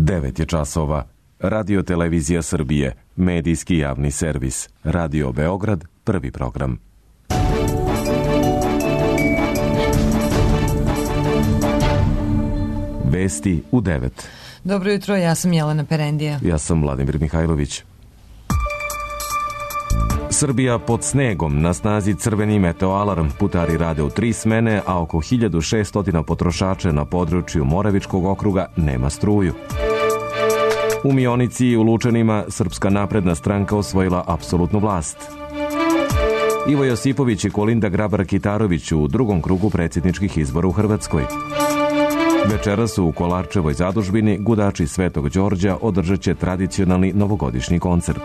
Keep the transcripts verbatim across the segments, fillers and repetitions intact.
devet je časova. Radio Televizija Srbije, medijski javni servis. Radio Beograd, prvi program. Vesti u devet. Dobro jutro, ja sam Jelena Perendija. Ja sam Vladimir Mihajlović. Srbija pod snegom, na snazi crveni meteoalarm, putari rade u tri smene, a oko hiljadu šeststo potrošača na području Moravičkog okruga nema struju. U Mionici i u Lučanima Srpska napredna stranka osvojila apsolutnu vlast. Ivo Josipović i Kolinda Grabar-Kitarović u drugom krugu predsjedničkih izbora u Hrvatskoj. Večeras u Kolarčevoj zadužbini gudači Svetog Đorđa održat će tradicionalni novogodišnji koncert.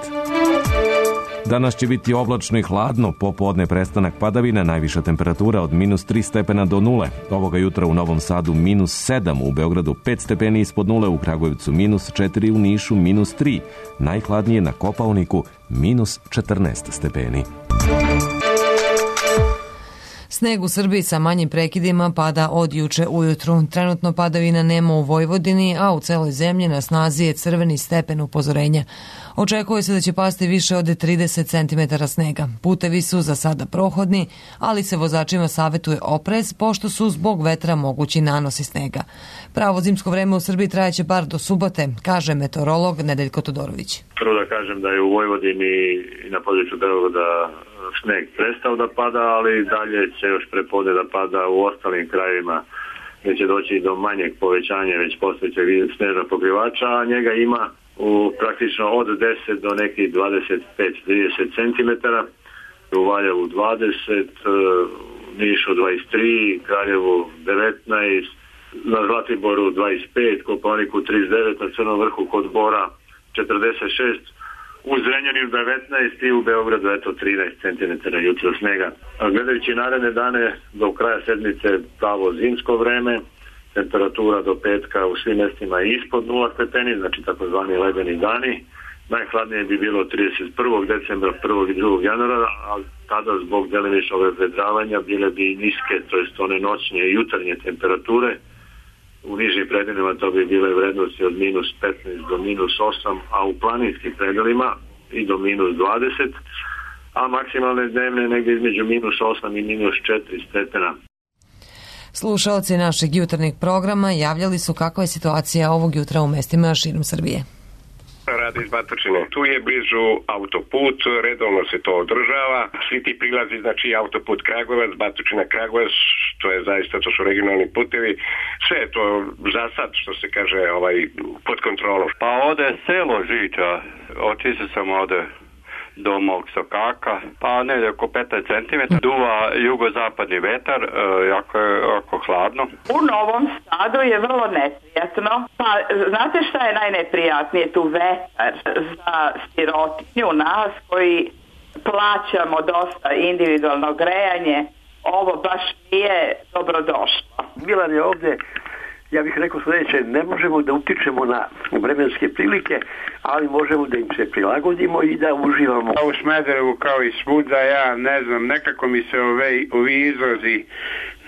Danas će biti oblačno i hladno, popodne prestanak padavina, najviša temperatura od minus tri stepena do nule. Ovoga jutra u Novom Sadu minus sedam, u Beogradu pet stepeni ispod nule, u Kragujevcu minus četiri, u Nišu minus tri. Najhladnije na Kopaoniku minus četrnaest stepeni. Sneg u Srbiji sa manjim prekidima pada od juče ujutru. Trenutno padavina nema u Vojvodini, a u celoj zemlji na snazi je crveni stepen upozorenja. Očekuje se da će pasti više od trideset centimetara snega. Putevi su za sada prohodni, ali se vozačima savjetuje oprez, pošto su zbog vetra mogući nanosi snega. Pravo zimsko vreme u Srbiji trajeće bar do subote, kaže meteorolog Nedeljko Todorović. Prvo da kažem da je u Vojvodini i na području Beograda sneg prestao da pada, ali dalje će još prepodne da pada u ostalim krajevima, gdje će doći do manjeg povećanja već postojećeg snežnog pokrivača, a njega ima u praktično od deset do nekih dvadeset pet do trideset centimetara, u Valjevu dvadeset, u Nišu dvadeset tri, Kraljevu devetnaest, na Zlatiboru dvadeset pet, Kopaoniku trideset devet, na Crnom vrhu kod Bora četrdeset šest, u Zrenjaninu devetnaest i u Beogradu eto trinaest centimetara jutro snega. A gledajući naredne dane do kraja sedmice pravo zimsko vreme, temperatura do petka u svim mjestima je ispod nula stepeni, znači takozvani ledeni dani. Najhladnije bi bilo trideset prvog decembra, prvog i drugog januara, ali tada zbog delimičnog vedravanja bile bi niske, to jest one noćne i jutarnje temperature. U nižim predelima to bi bile vrednosti od minus petnaest do minus osam, a u planinskim predelima i do minus dvadeset, a maksimalne dnevne negdje između minus osam i minus četiri stepena. Slušaoci našeg jutarnjeg programa javljali su kakva je situacija ovog jutra u mestima širom Srbije. Radi iz Batočine. Tu je blizu autoput, redovno se to održava. Svi ti prilazi, znači autoput Kragujevac, Batočina Kragujevac, to je zaista, to su regionalni putevi. Sve je to za sad, što se kaže, ovaj, pod kontrolom. Pa ode selo Žiča, otišao sam ode do mog Sokaka, pa negdje oko petnaest centimetara. Duva jugozapadni vetar, e, jako je jako hladno. U Novom Sadu je vrlo neprijatno. Pa znate šta je najneprijatnije? Tu vetar za sirotinju nas koji plaćamo dosta individualno grejanje. Ovo baš nije dobrodošlo. Milan je ovdje, ja bih rekao sljedeće, ne možemo da utičemo na vremenske prilike, ali možemo da im se prilagodimo i da uživamo. U Smederevu kao i svuda, ja ne znam, nekako mi se ove, ovi izrazi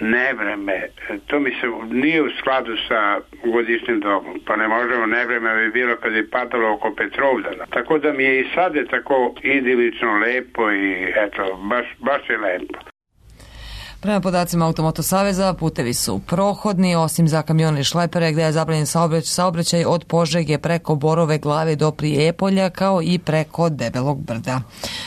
nevreme, to mi se nije u skladu sa godišnjim dobom, pa ne možemo, nevreme bi bilo kad je padalo oko Petrovdana. Tako da mi je i sad je tako idilično lepo i eto, baš, baš je lepo. Prema podacima Automoto Saveza, putevi su prohodni, osim za kamione i šlepere, gdje je zabranjen saobraćaj od Požege preko Borove Glave do Prijepolja, kao i preko Debelog brda.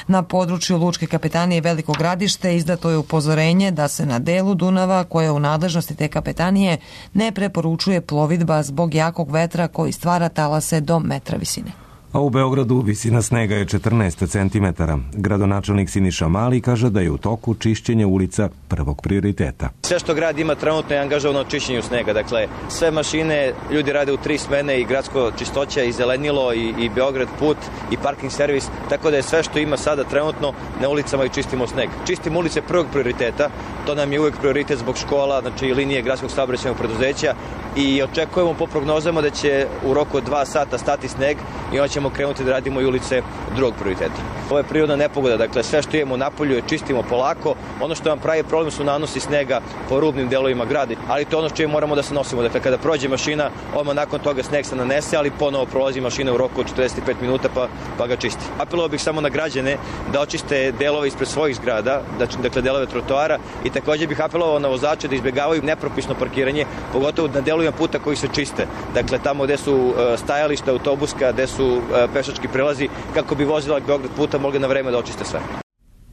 Na području Lučke kapetanije Veliko Gradište izdato je upozorenje da se na delu Dunava, koje je u nadležnosti te kapetanije, ne preporučuje plovidba zbog jakog vetra koji stvara talase do metra visine. A u Beogradu visina snega je četrnaest centimetara. Gradonačelnik Siniša Mali kaže da je u toku čišćenje ulica prvog prioriteta. Sve što grad ima trenutno je angažovano u čišćenju snega. Dakle, sve mašine, ljudi rade u tri smene, i gradsko čistoća, i zelenilo, i, i Beograd put, i parking servis. Tako da je sve što ima sada trenutno na ulicama i čistimo sneg. Čistimo ulice prvog prioriteta, to nam je uvijek prioritet zbog škola, znači linije gradskog saobraćajnog preduzeća, i očekujemo po prognozama da će u roku od dva sata stati sneg i on će ćemo krenuti da radimo i ulice drugog prioriteta. Ovo je prirodna nepogoda, dakle sve što imamo napolju je čistimo polako. Ono što nam pravi problem su nanosi snega po rubnim delovima grada, ali to je ono s čim moramo da se nosimo. Dakle, kada prođe mašina, odmah nakon toga sneg se nanese, ali ponovo prolazi mašina u roku od četrdeset pet minuta pa, pa ga čisti. Apelovao bih samo na građane da očiste delove ispred svojih zgrada, dakle delove trotoara, i takođe bih apelovao na vozače da izbegavaju nepropisno parkiranje, pogotovo na delovima puta koji se čiste. Dakle, tamo gde su stajališta autobuska, gde su pešački prelazi, kako bi vozila Beograd puta mogli na vreme da očiste sve.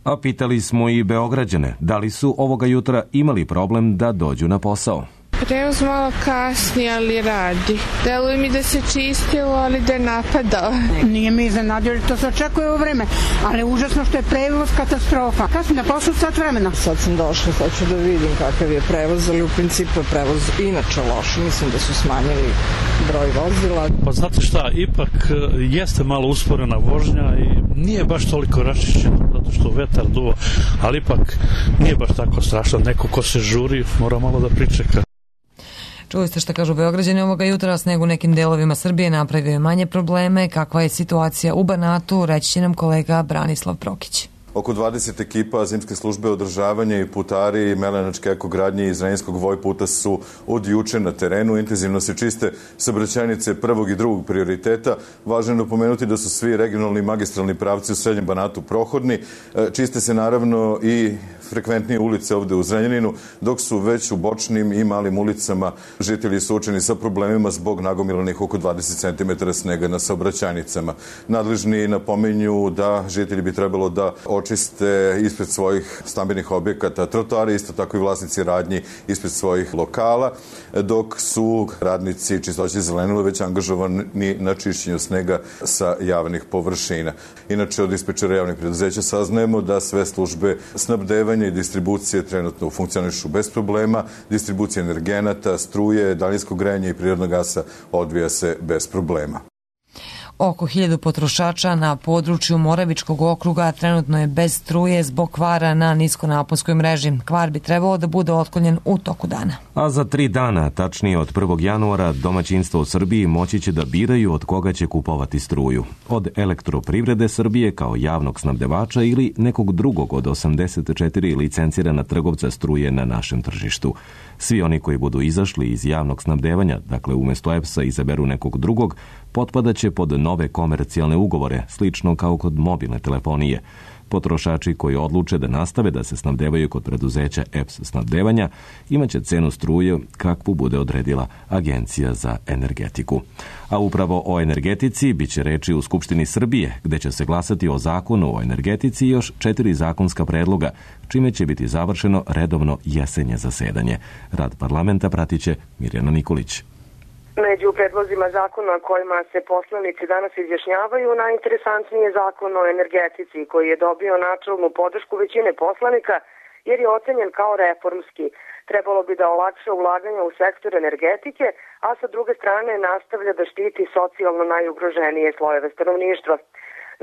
A pitali smo i Beograđane da li su ovoga jutra imali problem da dođu na posao. Prevoz malo kasni, ali radi. Deluje mi da se čistilo, ali da je napadao. Nije mi iznenadio, to se očekuje u vreme, ali užasno što je prevoz katastrofa. Kasni na posao sat vremena. Sad sam došla, sad ću da vidim kakav je prevoz, ali u principu je prevoz inače loš. Mislim da su smanjili broj vozila. Pa znate šta, ipak jeste malo usporena vožnja i nije baš toliko raščišćeno, zato što vetar duva, ali ipak nije baš tako strašno. Neko ko se žuri mora malo da pričeka. Čuli ste šta kažu Beograđani ovoga jutra, sneg u nekim delovima Srbije napravio je manje probleme. Kakva je situacija u Banatu, reći će nam kolega Branislav Prokić. Oko dvadeset ekipa zimske službe održavanja i putari i Melenačke ekogradnje iz Zrenjinskog Vojputa su od juče na terenu. Intenzivno se čiste saobraćajnice prvog i drugog prioriteta. Važno je napomenuti da su svi regionalni i magistralni pravci u Srednjem Banatu prohodni. Čiste se naravno i frekventnije ulice ovde u Zrenjaninu, dok su već u bočnim i malim ulicama žitelji suočeni sa problemima zbog nagomilanih oko dvadeset centimetara snega na saobraćajnicama. Nadležni napominju da žitelji bi trebalo da očiste ispred svojih stambenih objekata trotoare, isto tako i vlasnici radnji ispred svojih lokala, dok su radnici čistoće zelenila već angažovani na čišćenju snega sa javnih površina. Inače, od dispečera javnih preduzeća saznajemo da sve službe snabdevanja i distribucije trenutno funkcionišu bez problema. Distribucija energenata, struje, daljinskog grejanja i prirodnog gasa odvija se bez problema. Oko hiljadu potrošača na području Moravičkog okruga trenutno je bez struje zbog kvara na niskonaponskoj mreži. Kvar bi trebalo da bude otklonjen u toku dana. A za tri dana, tačnije od prvog januara, domaćinstva u Srbiji moći će da biraju od koga će kupovati struju. Od Elektroprivrede Srbije kao javnog snabdevača ili nekog drugog od osamdeset četiri licencirana trgovca struje na našem tržištu. Svi oni koji budu izašli iz javnog snabdevanja, dakle umesto E P S-a izaberu nekog drugog, potpadaće pod nove komercijalne ugovore, slično kao kod mobilne telefonije. Potrošači koji odluče da nastave da se snabdevaju kod preduzeća E P S snabdevanja imaće cenu struje kakvu bude odredila Agencija za energetiku. A upravo o energetici biće reči u Skupštini Srbije, gde će se glasati o zakonu o energetici i još četiri zakonska predloga, čime će biti završeno redovno jesenje zasedanje. Rad parlamenta pratiće Mirjana Nikolić. Među predlozima zakona kojima se poslanici danas izjašnjavaju, najinteresantniji je zakon o energetici, koji je dobio načelnu podršku većine poslanika jer je ocenjen kao reformski. Trebalo bi da olakša ulaganja u sektor energetike, a sa druge strane nastavlja da štiti socijalno najugroženije slojeve stanovništva.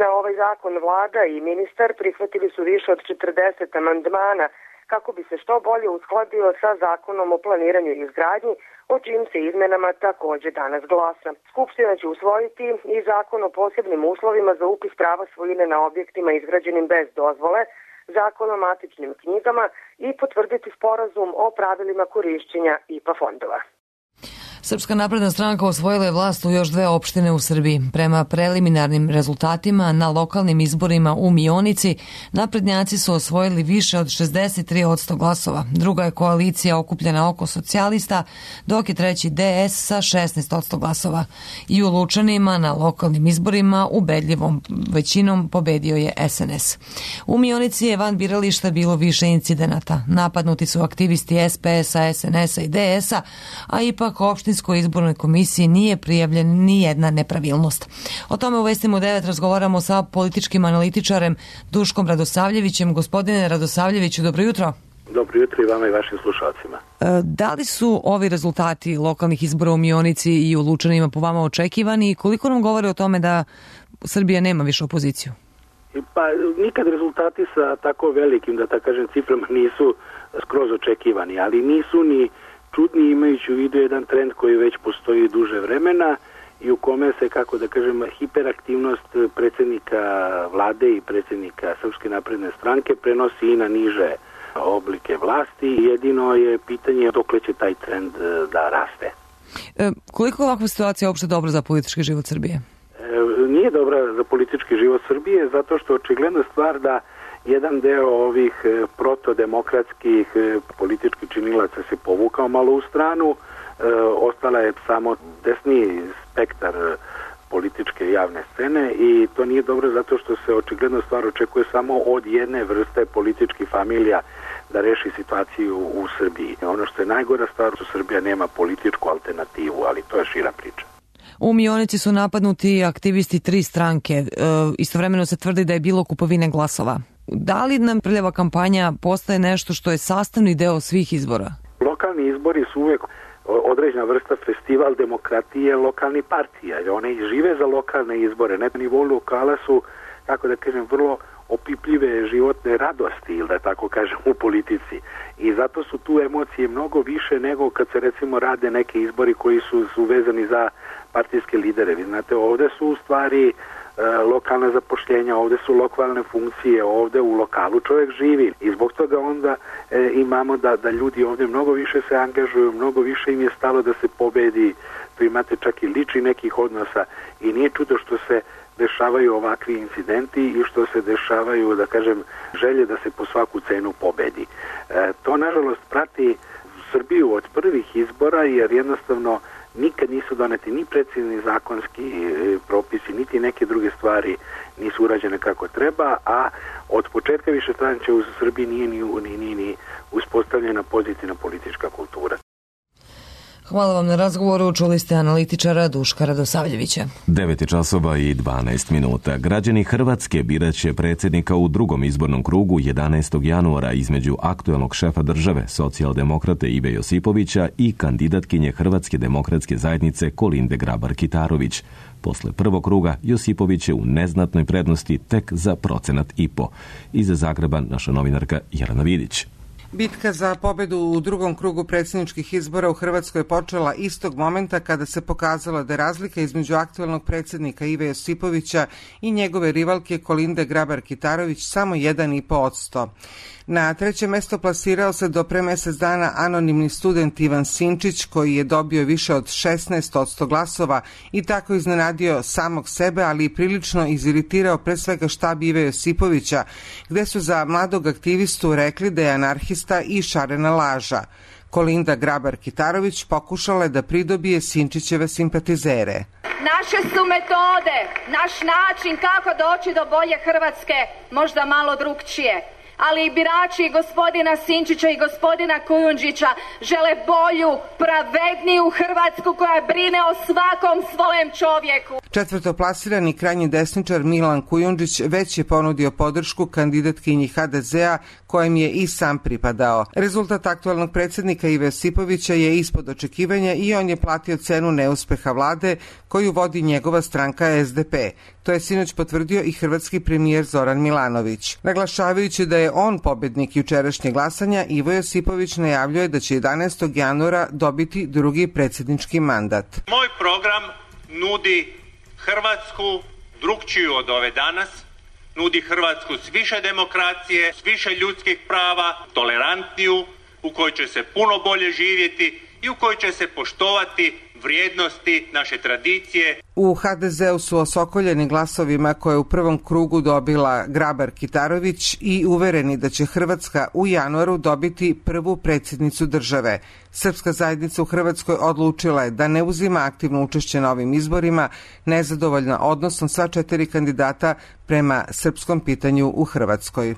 Na ovaj zakon vlada i ministar prihvatili su više od četrdeset amandmana kako bi se što bolje uskladio sa zakonom o planiranju i izgradnji, o čijim se izmenama takođe danas glasa. Skupština će usvojiti i zakon o posebnim uslovima za upis prava svojine na objektima izgrađenim bez dozvole, zakon o matičnim knjigama i potvrditi sporazum o pravilima korišćenja I P A fondova. Srpska napredna stranka osvojila je vlast u još dve opštine u Srbiji. Prema preliminarnim rezultatima na lokalnim izborima u Mionici, naprednjaci su osvojili više od šezdeset tri posto glasova. Druga je koalicija okupljena oko socijalista, dok je treći D S sa šesnaest posto glasova. I u Lučanima na lokalnim izborima ubedljivom većinom pobedio je S N S. U Mionici je van birališta bilo više incidenata. Napadnuti su aktivisti S P S-a, S N S-a i D S-a, a ipak opštinskoj izbornoj komisiji nije prijavljena ni jedna nepravilnost. O tome u Vestima u devet razgovaramo sa političkim analitičarem Duškom Radosavljevićem. Gospodine Radosavljeviću, dobro jutro. Dobro jutro i vama i vašim slušalcima. Da li su ovi rezultati lokalnih izbora u Mionici i u Lučanima po vama očekivani i koliko nam govore o tome da Srbija nema više opoziciju? Pa nikad rezultati sa tako velikim, da tako kažem, ciframa nisu skroz očekivani, ali nisu ni čudni imajući u vidu jedan trend koji već postoji duže vremena i u kome se, kako da kažem, hiperaktivnost predsjednika vlade i predsjednika Srpske napredne stranke prenosi i na niže oblike vlasti. Jedino je pitanje dokle će taj trend da raste. E, koliko je ovakva situacija uopšte dobra za politički život Srbije? E, nije dobra za politički život Srbije zato što očigledna stvar da jedan deo ovih protodemokratskih političkih činilaca se povukao malo u stranu, e, ostala je samo desni spektar političke javne scene i to nije dobro zato što se očigledno stvar očekuje samo od jedne vrste političkih familija da reši situaciju u Srbiji. Ono što je najgora stvar, što Srbija nema političku alternativu, ali to je šira priča. U Mionici su napadnuti aktivisti tri stranke. E, istovremeno se tvrdi da je bilo kupovine glasova. Da li nam prljava kampanja postaje nešto što je sastavni deo svih izbora? Lokalni izbori su uvek određena vrsta festival demokratije lokalnih partija. One i žive za lokalne izbore. Na nivou lokala su, kako da kažem, vrlo opipljive životne radosti, ili da tako kažem, u politici. I zato su tu emocije mnogo više nego kad se recimo rade neke izbori koji su, su vezani za partijske lidere. Vi znate, ovde su u stvari e, lokalna zapošljenja, ovde su lokalne funkcije, ovde u lokalu čovjek živi. I zbog toga onda e, imamo da, da ljudi ovde mnogo više se angažuju, mnogo više im je stalo da se pobedi. Tu imate čak i lični nekih odnosa i nije čudo što se dešavaju ovakvi incidenti i što se dešavaju, da kažem, želje da se po svaku cenu pobedi. E, to, nažalost, prati Srbiju od prvih izbora, jer jednostavno nikad nisu doneti ni precizni zakonski e, propisi, niti neke druge stvari nisu urađene kako treba, a od početka višestranačja u Srbiji nije ni, ni, ni, ni uspostavljena pozitivna politička kultura. Hvala vam na razgovoru. Čuli ste analitičara Duška Radosavljevića. devet časova i dvanaest minuta. Građani Hrvatske biraće predsjednika u drugom izbornom krugu jedanaestog januara između aktuelnog šefa države, socijaldemokrate Ive Josipovića i kandidatkinje Hrvatske demokratske zajednice Kolinde Grabar-Kitarović. Posle prvog kruga Josipović je u neznatnoj prednosti tek za procenat i po. Iz Zagreba naša novinarka Jelena Vidić. Bitka za pobedu u drugom krugu predsjedničkih izbora u Hrvatskoj je počela istog momenta kada se pokazalo da je razlika između aktuelnog predsjednika Ive Josipovića i njegove rivalke Kolinde Grabar-Kitarović samo jedan i po odsto. Na treće mesto plasirao se do pre mesec dana anonimni student Ivan Sinčić, koji je dobio više od šesnaest odsto glasova i tako iznenadio samog sebe, ali i prilično iziritirao pre svega štab Ive Josipovića, gde su za mladog aktivistu rekli da je anarhista i šarena laža. Kolinda Grabar-Kitarović pokušala je da pridobije Sinčićeve simpatizere. Naše su metode, naš način kako doći do bolje Hrvatske možda malo drugčije. Ali i birači gospodina Sinčića i gospodina Kujundžića žele bolju, pravedniju Hrvatsku koja brine o svakom svojem čovjeku. Četvrtoplasirani krajnji desničar Milan Kujundžić već je ponudio podršku kandidatkinji ha de zea kojem je i sam pripadao. Rezultat aktualnog predsjednika Ive Josipovića je ispod očekivanja i on je platio cenu neuspeha vlade koju vodi njegova stranka es de pe. To je sinoć potvrdio i hrvatski premijer Zoran Milanović. Naglašavajući da je on pobednik jučerašnjeg glasanja, Ivo Josipović najavljuje da će jedanaestog januara dobiti drugi predsjednički mandat. Moj program nudi Hrvatsku drukčiju od ove danas, nudi Hrvatsku s više demokracije, s više ljudskih prava, tolerantniju, u kojoj će se puno bolje živjeti i u kojoj će se poštovati vrijednosti naše tradicije. U ha de zeu su osokoljeni glasovima koje je u prvom krugu dobila Grabar-Kitarović i uvereni da će Hrvatska u januaru dobiti prvu predsjednicu države. Srpska zajednica u Hrvatskoj odlučila je da ne uzima aktivno učešće na ovim izborima, nezadovoljna odnosom sva četiri kandidata prema srpskom pitanju u Hrvatskoj.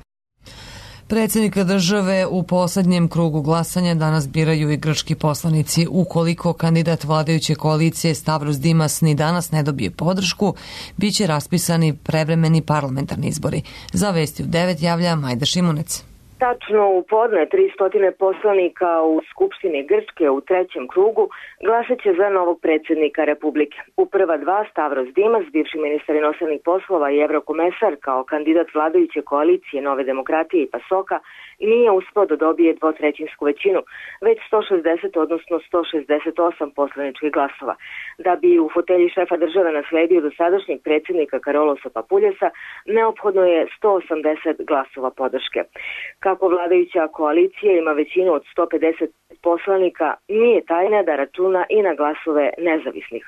Predsjednika države u poslednjem krugu glasanja danas biraju i grčki poslanici. Ukoliko kandidat vladajuće koalicije Stavros Dimas ni danas ne dobije podršku, bit će raspisani prevremeni parlamentarni izbori. Za Vesti u devet javlja Majda Šimunec. Tačno u podne tristo poslanika u Skupštini Grčke u trećem krugu glasat će za novog predsjednika Republike. U prva dva Stavros Dimas, bivši ministar inostranih poslova i evrokomesar kao kandidat vladajuće koalicije Nove demokratije i Pasoka, nije uspeo da dobije dvotrećinsku većinu, već sto šezdeset, odnosno sto šezdeset osam poslaničkih glasova. Da bi u fotelji šefa države nasledio dosadašnjeg predsjednika Karolosa Papuljasa, neophodno je sto osamdeset glasova podrške. Kako vladajuća koalicija ima većinu od sto pedeset poslanika, nije tajna da računa i na glasove nezavisnih.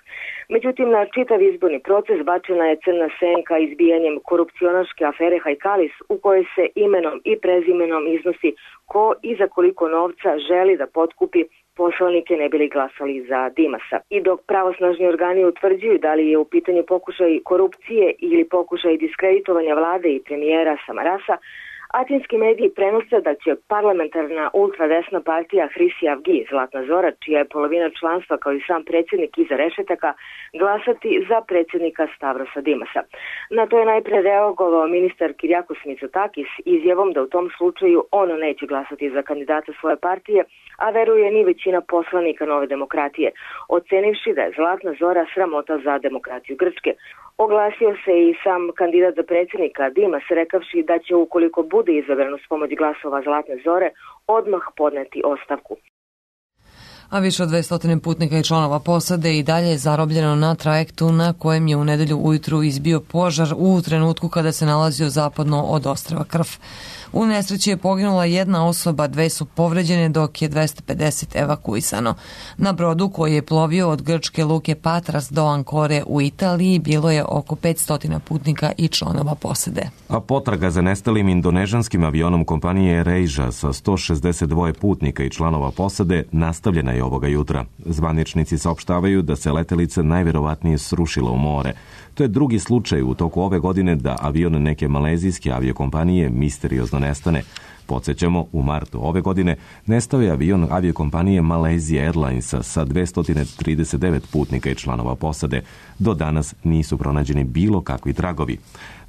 Međutim, na čitav izborni proces bačena je crna senka izbijanjem korupcionaške afere Hajkalis, u kojoj se imenom i prezimenom iznosi ko i za koliko novca želi da potkupi poslanike ne bili glasali za Dimasa. I dok pravosnažni organi utvrđuju da li je u pitanju pokušaj korupcije ili pokušaj diskreditovanja vlade i premijera Samarasa, atinski mediji prenose da će parlamentarna ultradesna partija Hrisijavgi, Zlatna Zora, čija je polovina članstva kao i sam predsjednik iza rešetaka, glasati za predsjednika Stavrosa Dimasa. Na to je najpre reagovao ministar Kirjakos Mitsotakis izjavom da u tom slučaju on neće glasati za kandidata svoje partije, a veruje ni većina poslanika Nove demokratije, ocenivši da je Zlatna Zora sramota za demokratiju Grčke. Oglasio se i sam kandidat za predsjednika Dimas, rekavši da će, ukoliko bude izabran uz pomoć glasova Zlatne Zore, odmah podneti ostavku. A više od dvesta putnika i članova posade i dalje je zarobljeno na trajektu na kojem je u nedelju ujutru izbio požar u trenutku kada se nalazio zapadno od ostrva Krf. U nesreći je poginula jedna osoba, dve su povređene, dok je dvesta pedeset evakuisano. Na brodu koji je plovio od grčke luke Patras do Ankore u Italiji bilo je oko petsto putnika i članova posade. A potraga za nestalim indonežanskim avionom kompanije AirAsia sa sto šezdeset dva putnika i članova posade nastavljena je ovoga jutra. Zvaničnici saopštavaju da se letelica najverovatnije srušila u more. To je drugi slučaj u toku ove godine da avion neke malezijske aviokompanije misteriozno nestane. Podsjećamo, u martu ove godine nestao je avion aviokompanije Malaysia Airlinesa sa dvesta trideset devet putnika i članova posade. Do danas nisu pronađeni bilo kakvi tragovi.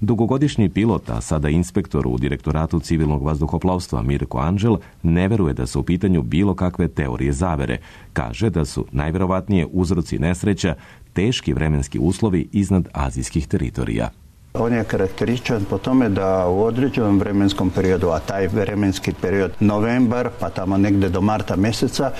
Dugogodišnji pilot, a sada inspektor u Direktoratu civilnog vazduhoplovstva Mirko Anđel, ne veruje da su u pitanju bilo kakve teorije zavere. Kaže da su najverovatnije uzroci nesreća teški vremenski uslovi iznad azijskih teritorija. On je karakterističan po tome da u određenom vremenskom periodu, a taj vremenski period novembar pa tamo negde do marta meseca,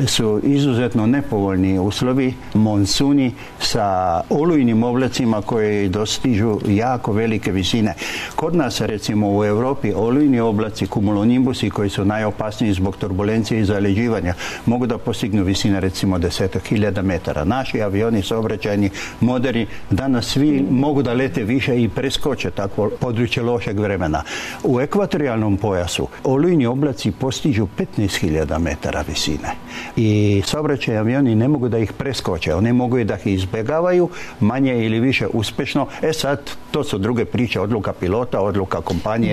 su izuzetno nepovoljni uslovi, monsuni sa olujnim oblacima koji dostižu jako velike visine. Kod nas, recimo u Europi, olujni oblaci, kumulonimbusi koji su najopasniji zbog turbulencije i zaleđivanja, mogu da postignu visine recimo desetak hiljada metara. Naši avioni saobraćajni moderni danas svi mogu da lete više i preskoče takvo područje lošeg vremena. U ekvatorijalnom pojasu olujni oblaci postižu petnaest hiljada metara visine i saobraćajni avioni ne mogu da ih preskoče, oni mogu i da ih izbjegavaju manje ili više uspešno. E sad, to su druge priče, odluka pilota, odluka kompanije.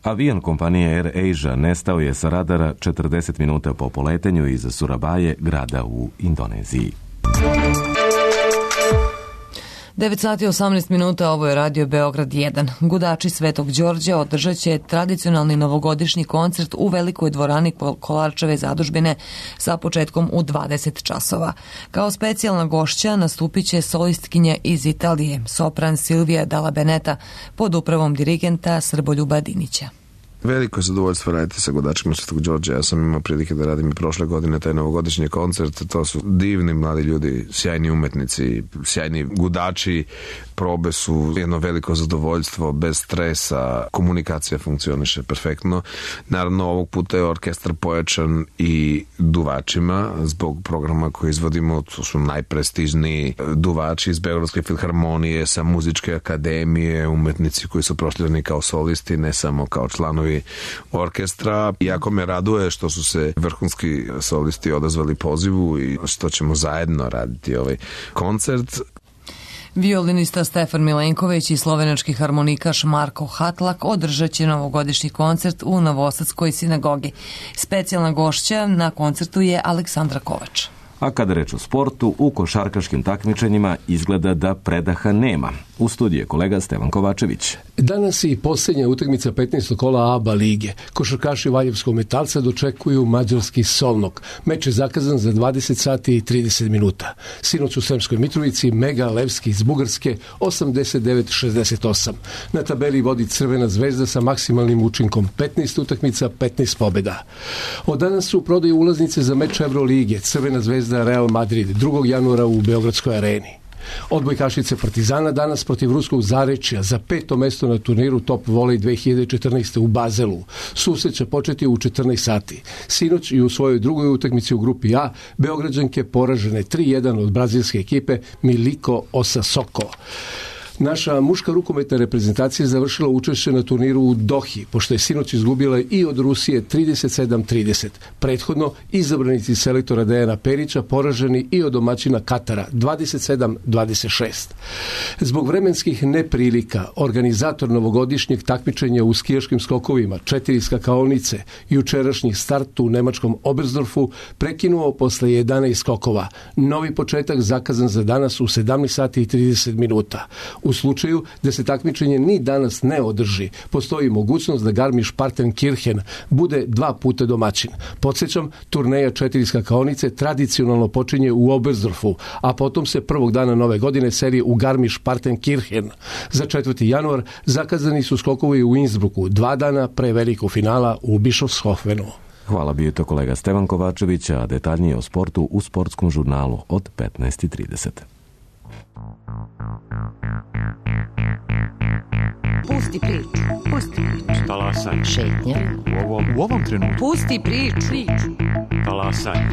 Avion kompanije AirAsia nestao je sa radara četrdeset minuta po poletanju iz Surabaje, grada u Indoneziji. devet sati i osamnaest minuta, ovo je Radio Beograd jedan. Gudači Svetog Đorđa održat će tradicionalni novogodišnji koncert u velikoj dvorani Kolarčeve zadužbine sa početkom u dvadeset časova. Kao specijalna gošća nastupit će solistkinja iz Italije, sopran Silvija Dalla Beneta, pod upravom dirigenta Srboljuba Dinića. Veliko je zadovoljstvo raditi sa Gudačima Svetog Đorđa. Ja sam imao prilike da radim i prošle godine taj novogodišnji koncert. To su divni mladi ljudi, sjajni umetnici, sjajni gudači. Probe su jedno veliko zadovoljstvo, bez stresa, komunikacija funkcioniše perfektno. Naravno, ovog puta je orkestar pojačan i duvačima zbog programa koji izvodimo. To su najprestižniji duvači iz Beogradske filharmonije, sa muzičke akademije, umetnici koji su prošljeni kao solisti, ne samo kao članovi orkestra. Jako me raduje što su se vrhunski solisti odazvali pozivu i što ćemo zajedno raditi ovaj koncert. Violinista Stefan Milenković i slovenački harmonikaš Marko Hatlak održat će novogodišnji koncert u Novosadskoj sinagogi. Specijalna gošća na koncertu je Aleksandra Kovač. A kada reč o sportu, u košarkaškim takmičenjima izgleda da predaha nema. U studiju je kolega Stevan Kovačević. Danas je i posljednja utakmica petnaestog kola A B A lige. Košarkaši Valjevskog Metalca dočekuju mađarski Solnog. Meč je zakazan za dvadeset sati i trideset minuta. Sinoć u Sremskoj Mitrovici Mega Levski iz Bugarske osamdeset devet šezdeset osam. Na tabeli vodi Crvena zvezda sa maksimalnim učinkom petnaest utakmica, petnaest pobjeda. Od danas su u prodaju ulaznice za meč Evrolige Crvena zvezda Real Madrid drugog januara u Beogradskoj areni. Odbojkašice Partizana danas protiv ruskog Zarečja za peto mesto na turniru Top Volley dve hiljade četrnaeste u Bazelu. Susret će početi u četrnaest sati. Sinoć i u svojoj drugoj utakmici u grupi A Beograđanke poražene tri jedan od brazilske ekipe Miliko Osasoko. Naša muška rukometna reprezentacija je završila učešće na turniru u Dohi, pošto je sinoć izgubila i od Rusije trideset sedam trideset. Prethodno, izabranici selektora Dejana Perića poraženi i od domaćina Katara dvadeset sedam dvadeset šest. Zbog vremenskih neprilika, organizator novogodišnjeg takmičenja u skijaškim skokovima, četiri skakaonice, jučerašnji start u nemačkom Oberstdorfu prekinuo posle jedanaest skokova. Novi početak zakazan za danas u sedamnaest sati i trideset minuta. U slučaju da se takmičenje ni danas ne održi, postoji mogućnost da Garmisch-Partenkirchen bude dva puta domaćin. Podsjećam, turneja četiri skakaonice tradicionalno počinje u Oberstdorfu, a potom se prvog dana nove godine seli u Garmisch-Partenkirchen. Za četvrti januar zakazani su skokovi u Innsbrucku, dva dana pre velikog finala u Bischofshofenu. Hvala, bio je to kolega Stevan Kovačević, a detaljnije o sportu u sportskom žurnalu od petnaest i trideset. Pusti priču, pusti priču. Talasanje. Šetnja. U ovom, u ovom trenutku. Pusti priču. Talasanje.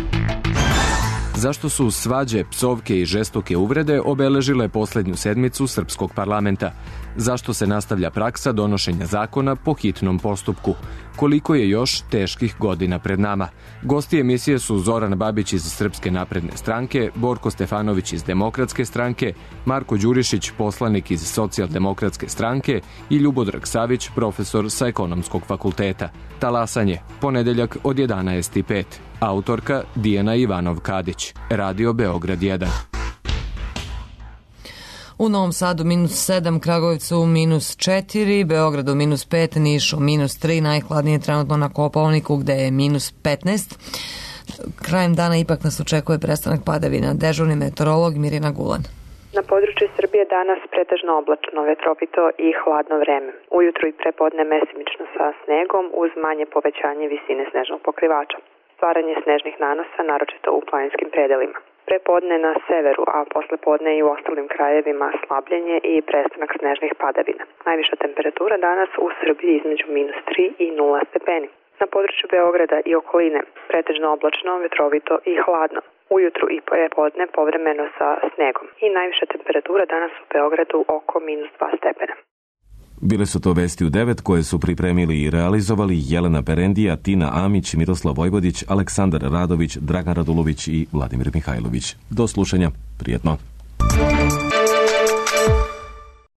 Zašto su svađe, psovke i žestoke uvrede obeležile posljednju sedmicu srpskog parlamenta? Zašto se nastavlja praksa donošenja zakona po hitnom postupku? Koliko je još teških godina pred nama? Gosti emisije su Zoran Babić iz Srpske napredne stranke, Borko Stefanović iz Demokratske stranke, Marko Đurišić, poslanik iz Socijaldemokratske stranke i Ljubodrag Savić, profesor sa Ekonomskog fakulteta. Talasanje, ponedeljak od jedanaest i pet. Autorka Dijana Ivanov-Kadić. Radio Beograd jedan. U Novom Sadu minus sedam, Kragujevcu minus četiri, Beogradu minus pet, Nišu minus tri, najhladnije trenutno na Kopaoniku gde je minus petnaest. Krajem dana ipak nas očekuje prestanak padavina. Dežurni meteorolog Mirjana Gulan. Na području Srbije danas pretežno oblačno, vetrovito i hladno vreme. Ujutru i prepodne mesimično sa snegom uz manje povećanje visine snežnog pokrivača. Stvaranje snežnih nanosa, naročito u planinskim predelima. Prepodne na severu, a posle podne i u ostalim krajevima slabljenje i prestanak snežnih padavina. Najviša temperatura danas u Srbiji između minus tri i nula stepeni. Na području Beograda i okoline pretežno oblačno, vetrovito i hladno. Ujutru i prepodne povremeno sa snegom. I najviša temperatura danas u Beogradu oko minus dva stepena. Bile su to vesti u devet koje su pripremili i realizovali Jelena Perendija, Tina Amić, Miroslav Vojvodić, Aleksandar Radović, Dragan Radulović i Vladimir Mihajlović. Do slušanja. Prijetno.